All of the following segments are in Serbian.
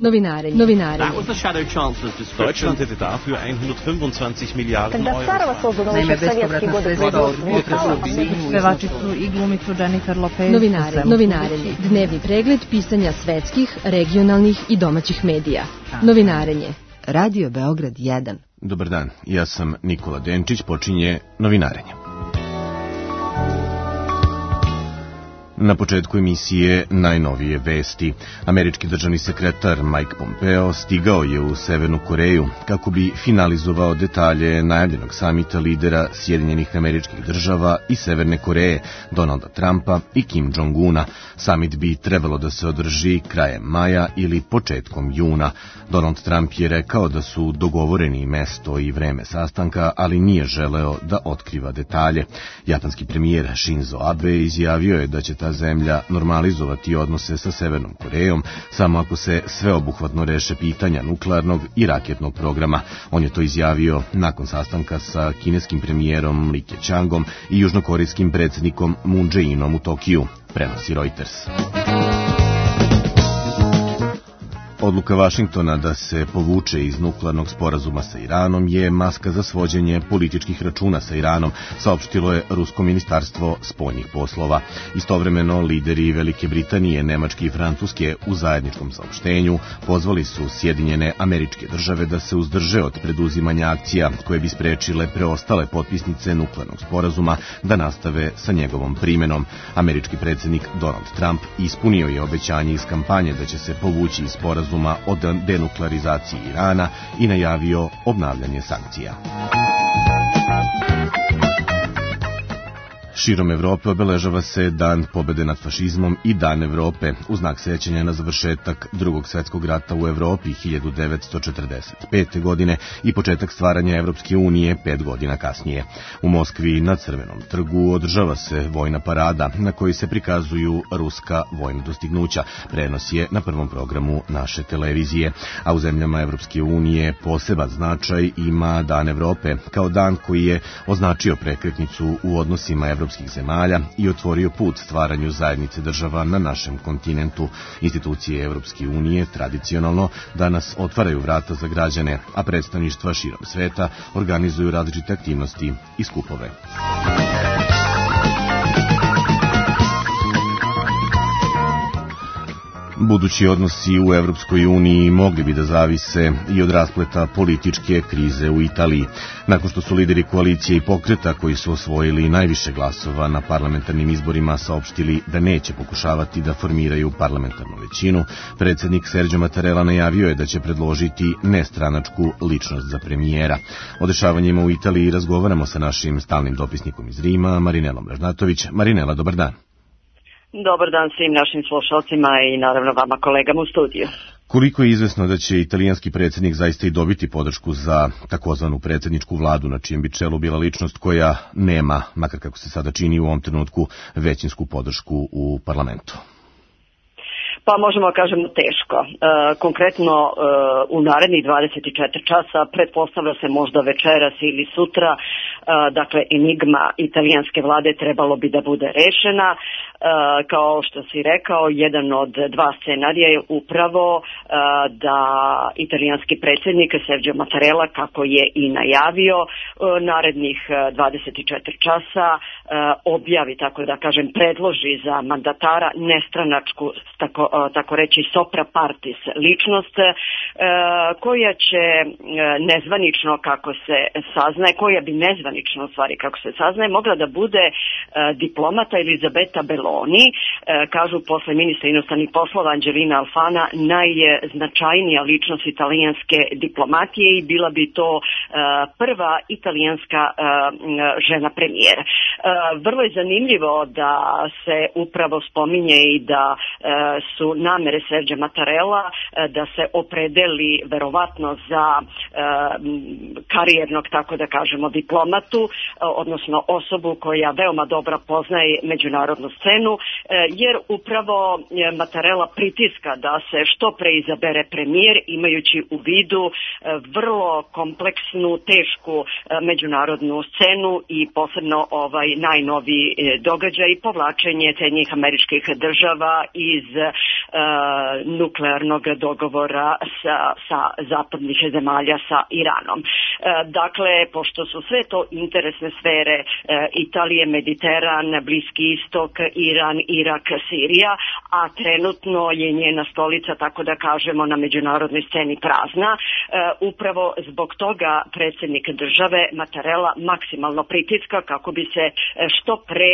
Novinarenje. Deutschland hätte dafür 125 Miliarden Euro. Naime, bespovratna sredstva od budžeta su pevačicu i glumicu Jennifer Lopez. Novinarenje. Dnevni pregled pisanja svetskih, regionalnih i domaćih medija. Novinarenje. Radio Beograd 1. Dobar dan, ja sam Nikola Denčić, počinje Novinarenje. Na početku emisije najnovije vesti. Američki državni sekretar Mike Pompeo stigao je u Severnu Koreju kako bi finalizovao detalje najavljenog samita lidera Sjedinjenih Američkih Država i Severne Koreje, Donalda Trumpa i Kim Jong-una. Samit bi trebalo da se održi krajem maja ili početkom juna. Donald Trump je rekao da su dogovoreni mesto i vreme sastanka, ali nije želeo da otkriva detalje. Japanski premijer Shinzo Abe izjavio je da će ta zemlja normalizovati odnose sa Severnom Korejom samo ako se sveobuhvatno reše pitanja nuklearnog i raketnog programa. On je to izjavio nakon sastanka sa kineskim premijerom Li Keqiangom i južnokorejskim predsjednikom Moon Jae-inom u Tokiju, prenosi Reuters. Odluka Vašingtona da se povuče iz nuklearnog sporazuma sa Iranom je maska za svođenje političkih računa sa Iranom, saopštilo je Rusko ministarstvo spoljnih poslova. Istovremeno, lideri Velike Britanije, Nemačke i Francuske u zajedničkom saopštenju pozvali su Sjedinjene Američke Države da se uzdrže od preduzimanja akcija koje bi sprečile preostale potpisnice nuklearnog sporazuma da nastave sa njegovom primenom. Američki predsjednik Donald Trump ispunio je obećanje iz kampanje da će se povući iz sporazuma o denuklearizaciji Irana i najavio obnavljanje sankcija. Širom Evrope obeležava se Dan pobede nad fašizmom i Dan Evrope u znak sećanja na završetak Drugog svjetskog rata u Evropi 1945. godine i početak stvaranja Evropske unije 5 godina kasnije. U Moskvi na Crvenom trgu održava se vojna parada na kojoj se prikazuju ruska vojna dostignuća. Prenos je na prvom programu naše televizije, a u zemljama Evropske unije poseban značaj ima Dan Evrope kao dan koji je označio prekretnicu u odnosima evropskih zemalja i otvorio put stvaranju zajednice država na našem kontinentu. Institucije Evropske unije tradicionalno danas otvaraju vrata za građane, a predstavništva širom sveta organizuju različite aktivnosti i skupove. Budući odnosi u Evropskoj uniji mogli bi da zavise i od raspleta političke krize u Italiji. Nakon što su lideri koalicije i pokreta koji su osvojili najviše glasova na parlamentarnim izborima saopštili da neće pokušavati da formiraju parlamentarnu većinu, predsjednik Sergio Mattarella najavio je da će predložiti nestranačku ličnost za premijera. O dešavanjima u Italiji razgovaramo sa našim stalnim dopisnikom iz Rima, Marinelom Ražnatović. Marinela, dobar dan. Dobar dan svim našim slušalcima i naravno vama kolegama u studiju. Koliko je izvesno da će italijanski predsjednik zaista i dobiti podršku za takozvanu predsjedničku vladu, na čijem bi čelu bila ličnost koja nema, makar kako se sada čini u ovom trenutku, većinsku podršku u parlamentu? Pa možemo da kažemo teško. Konkretno u narednih 24 časa, pretpostavlja se možda večeras ili sutra, dakle enigma italijanske vlade trebalo bi da bude rešena. Kao što si rekao, jedan od dva scenarija je upravo da italijanski predsjednik Sergio Mattarella, kako je i najavio, narednih 24 časa objavi, tako da kažem, predloži za mandatara nestranačku, tako reći sopra partis ličnost, koja će nezvanično, kako se saznaje, koja bi nezvanično u stvari kako se saznaje, mogla da bude diplomata Elisabetta Belloni, kažu posle ministra inostranih poslova Angelina Alfana, najznačajnija ličnost italijanske diplomatije i bila bi to prva italijanska žena premijera. Vrlo je zanimljivo da se upravo spominje i da su namere Sergio Mattarella da se opredeli verovatno za karijernog, tako da kažemo, diplomatu, odnosno osobu koja veoma dobro poznaje međunarodnu scenu, jer upravo Mattarella pritiska da se što pre izabere premijer, imajući u vidu vrlo kompleksnu, tešku međunarodnu scenu i posebno najnoviji događaj, povlačenje Sjedinjenih Američkih Država iz nuklearnog dogovora sa zapadnih zemalja sa Iranom. Dakle, pošto su sve to interesne sfere Italije, Mediteran, Bliski istok, Iran, Irak, Sirija, a trenutno je njena stolica, tako da kažemo, na međunarodnoj sceni prazna, upravo zbog toga predsjednik države Mattarella maksimalno pritiska kako bi se što pre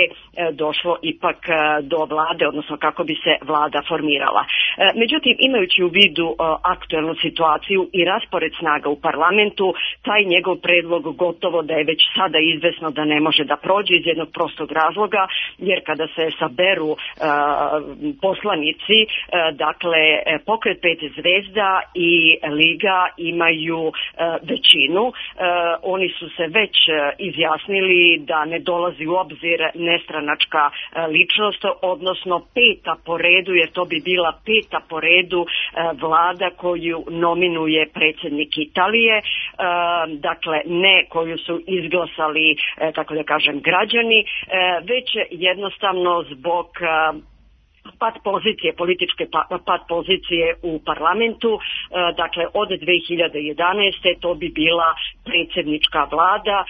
došlo ipak do vlade, odnosno kako bi se vlada formirala. Međutim, imajući u vidu aktuelnu situaciju i raspored snaga u parlamentu, taj njegov predlog gotovo da je već sada izvesno da ne može da prođe iz jednog prostog razloga, jer kada se saberu poslanici, dakle Pokret pet zvezda i Liga imaju većinu. Oni su se već izjasnili da ne dolazi u obzir nestranačka ličnost, odnosno peta po redu, jer to bi bila peta po redu vlada koju nominuje predsjednik Italije, dakle ne koju su izglasali, tako da kažem, građani, već jednostavno zbog pad pozicije, političke pad pozicije u parlamentu, dakle od 2011. to bi bila predsjednička vlada,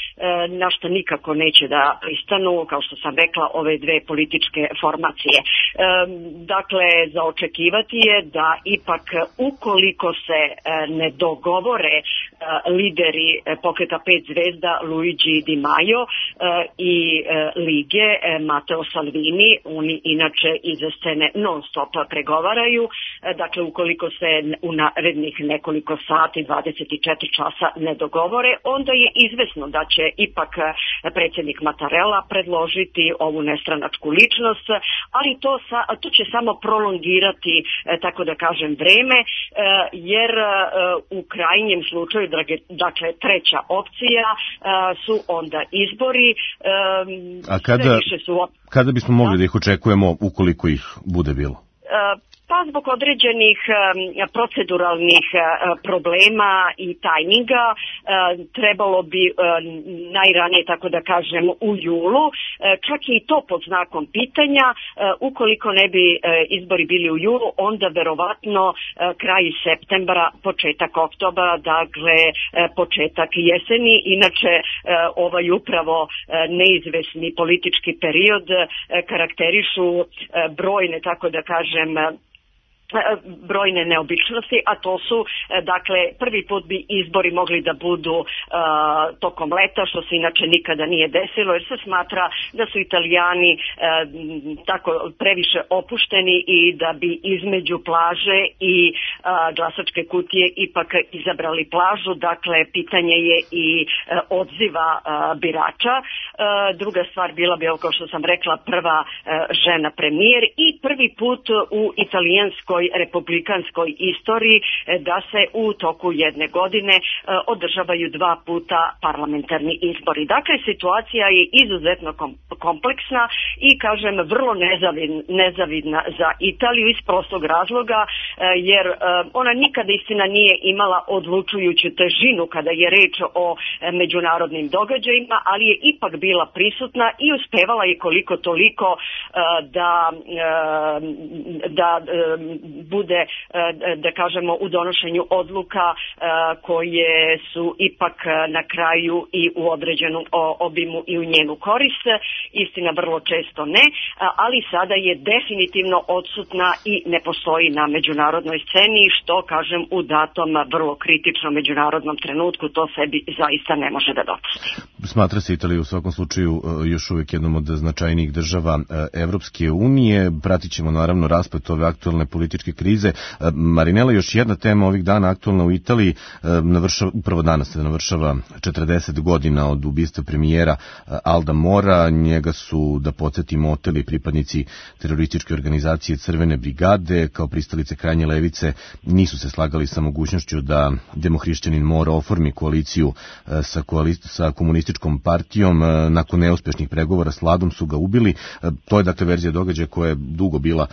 na što nikako neće da pristanu, kao što sam rekla, ove dve političke formacije. Dakle, za očekivati je da ipak ukoliko se ne dogovore lideri Pokreta pet zvezda Luigi Di Maio i Lige Matteo Salvini, oni inače iz scene non stop pregovaraju, dakle ukoliko se u narednih nekoliko sati, 24 časa ne dogovore, onda je izvesno da će ipak predsjednik Mattarella predložiti ovu nestranačku ličnost, ali to će samo prolongirati, tako da kažem, vreme, jer u krajnjem slučaju, dakle treća opcija su onda izbori. A kada bismo mogli da ih očekujemo ukoliko ih bude bilo? Pa zbog određenih proceduralnih problema i tajminga trebalo bi najranije, tako da kažem, u julu, čak i to pod znakom pitanja. Ukoliko ne bi izbori bili u julu, onda verovatno kraj septembra, početak oktobra, dakle početak jeseni. Inače, ovaj upravo neizvesni politički period karakterišu brojne, tako da kažem, brojne neobičnosti, a to su, dakle, prvi put bi izbori mogli da budu tokom leta, što se inače nikada nije desilo, jer se smatra da su Italijani tako previše opušteni i da bi između plaže i glasačke kutije ipak izabrali plažu. Dakle, pitanje je i odziva birača. Druga stvar bila bi, kao što sam rekla, prva žena premijer i prvi put u italijanskoj republikanskoj istoriji da se u toku jedne godine održavaju dva puta parlamentarni izbori. Dakle, situacija je izuzetno kompleksna i, kažem, vrlo nezavidna za Italiju iz prostog razloga, jer ona nikada, istina, nije imala odlučujuću težinu kada je reč o međunarodnim događajima, ali je ipak bila prisutna i uspevala je koliko toliko da bude, da kažemo, u donošenju odluka koje su ipak na kraju i u određenom obimu i u njenu korist. Istina, vrlo često ne, ali sada je definitivno odsutna i ne postoji na međunarodnoj sceni, što, kažem, u datom vrlo kritičnom međunarodnom trenutku to sebi zaista ne može da dopusti. Smatra se Italija u svakom slučaju još uvijek jednom od značajnijih država Evropske unije. Pratit ćemo naravno rasplet ove aktualne političke političke krize. Marinela, još jedna tema ovih dana aktualna u Italiji, upravo danas se navršava 40 godina od ubistva premijera Alda Mora. Njega su, da podsjetimo, oteli pripadnici terorističke organizacije Crvene brigade. Kao pristalice krajnje levice nisu se slagali sa mogućnošću da demohrišćanin Moro oformi koaliciju sa komunističkom partijom. Nakon neuspešnih pregovora s vladom su ga ubili. To je dakle verzija događaja koja je dugo bila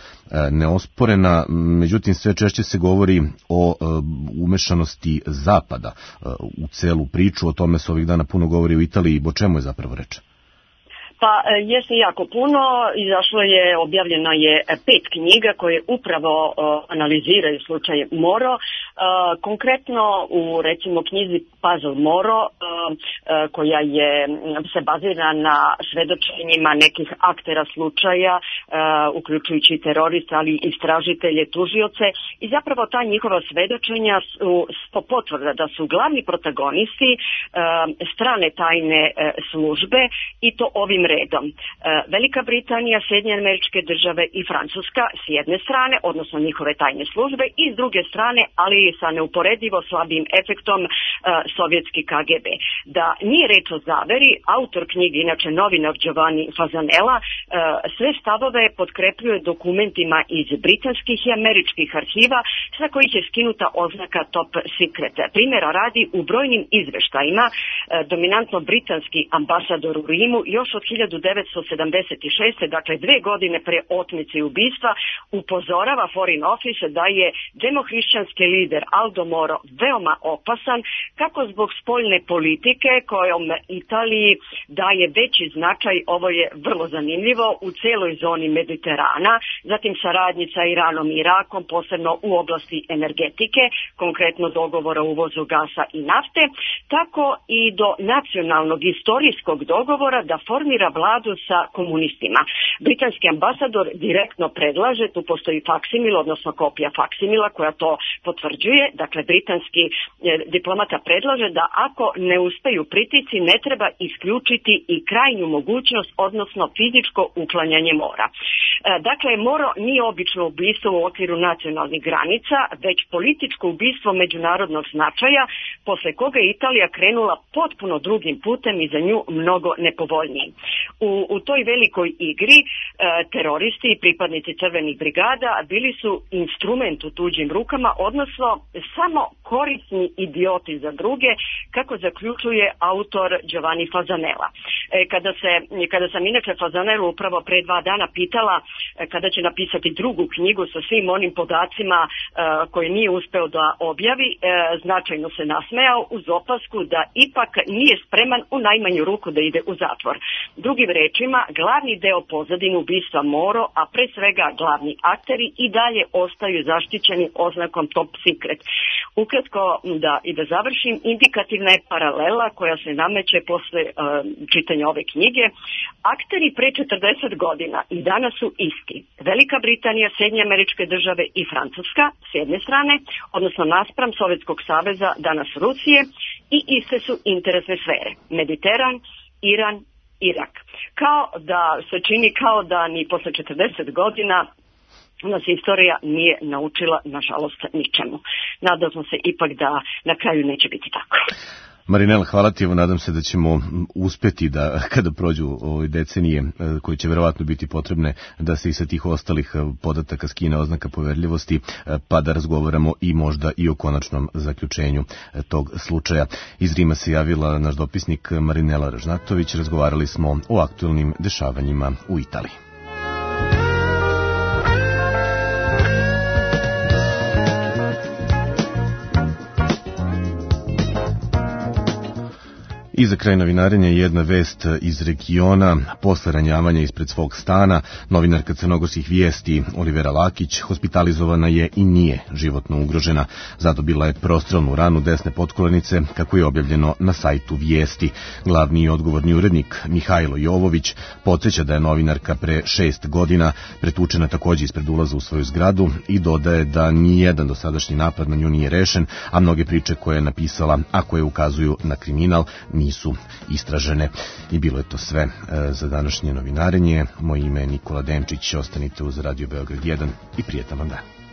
neosporena. Međutim, sve češće se govori o umešanosti Zapada u celu priču. O tome se ovih dana puno govori u Italiji. O čemu je zapravo reč? Pa jeste jako puno, objavljeno je 5 knjiga koje upravo analiziraju slučaj Moro. Konkretno u recimo knjizi Puzzle Moro, koja se bazira na svedočenjima nekih aktera slučaja, uključujući teroriste, ali i istražitelje, tužioce, i zapravo ta njihova svedočenja su potvrda da su glavni protagonisti strane tajne službe, i to ovim redom. Velika Britanija, Sjedinjene Američke Države i Francuska s jedne strane, odnosno njihove tajne službe, i s druge strane, ali sa neuporedivo slabim efektom, sovjetski KGB. Da nije reč o zaveri, autor knjige, inače novinar Giovanni Fasanella, sve stavove potkrepljuje dokumentima iz britanskih i američkih arhiva, sa kojih je skinuta oznaka Top Secret. Primjera radi, u brojnim izveštajima dominantno britanski ambasador u Rimu još od 1976. dakle 2 godine pre otmice i ubistva, upozorava Foreign Office da je demohrišćanski lider Aldo Moro veoma opasan, kako zbog spoljne politike kojom Italiji daje veći značaj, ovo je vrlo zanimljivo, u celoj zoni Mediterana, zatim saradnji sa Iranom i Irakom, posebno u oblasti energetike, konkretno dogovora o uvozu gasa i nafte, tako i do nacionalnog istorijskog dogovora da formira vladu sa komunistima. Britanski ambasador direktno predlaže, tu postoji faksimil, odnosno kopija faksimila koja to potvrđuje, dakle britanski diplomata predlaže da ako ne uspeju pritisci ne treba isključiti i krajnju mogućnost, odnosno fizičko uklanjanje Mora. Dakle, Moro nije obično ubistvo u okviru nacionalnih granica, već političko ubistvo međunarodnog značaja, posle koga je Italija krenula potpuno drugim putem i za nju mnogo nepovoljnijim. U toj velikoj igri teroristi i pripadnici crvenih brigada bili su instrument u tuđim rukama, odnosno samo korisni idioti za druge, kako zaključuje autor Giovanni Fasanella. Kada sam inače Fasanellu upravo pre 2 dana pitala kada će napisati drugu knjigu sa svim onim podacima koje nije uspeo da objavi, značajno se nasmejao uz opasku da ipak nije spreman u najmanju ruku da ide u zatvor. Drugim rečima, glavni deo pozadine ubistva Moro, a pre svega glavni akteri, i dalje ostaju zaštićeni oznakom Top Secret. Ukratko, da završim, indikativna je paralela koja se nameće posle čitanja ove knjige. Akteri pre 40 godina i danas su isti. Velika Britanija, Sjedinjene Američke Države i Francuska s jedne strane, odnosno naspram Sovjetskog saveza, danas Rusije, i iste su interesne sfere. Mediteran, Iran, Irak. Kao da se čini kao da ni posle 40 godina nas istorija nije naučila, nažalost, ničemu. Nadamo se ipak da na kraju neće biti tako. Marinela, hvala ti, nadam se da ćemo uspeti da kada prođu ove decenije koje će verovatno biti potrebne da se i sa tih ostalih podataka skine oznaka poverljivosti, pa da razgovaramo i možda i o konačnom zaključenju tog slučaja. Iz Rima se javila naš dopisnik Marinela Ražnatović, razgovarali smo o aktualnim dešavanjima u Italiji. I za kraj novinarenja jedna vest iz regiona. Posle ranjavanja ispred svog stana, novinarka crnogorskih vijesti Olivera Lakić hospitalizovana je i nije životno ugrožena. Zadobila je prostrelnu ranu desne potkolenice, kako je objavljeno na sajtu Vijesti. Glavni i odgovorni urednik Mihajlo Jovović podsjeća da je novinarka pre 6 godina pretučena takođe ispred ulaza u svoju zgradu i dodaje da nijedan dosadašnji napad na nju nije rešen, a mnoge priče koje je napisala, a koje ukazuju na kriminal, nisu istražene. I bilo je to sve za današnje novinarenje. Moje ime je Nikola Denčić, ostanite uz Radio Beograd 1 i prijetan vam dan.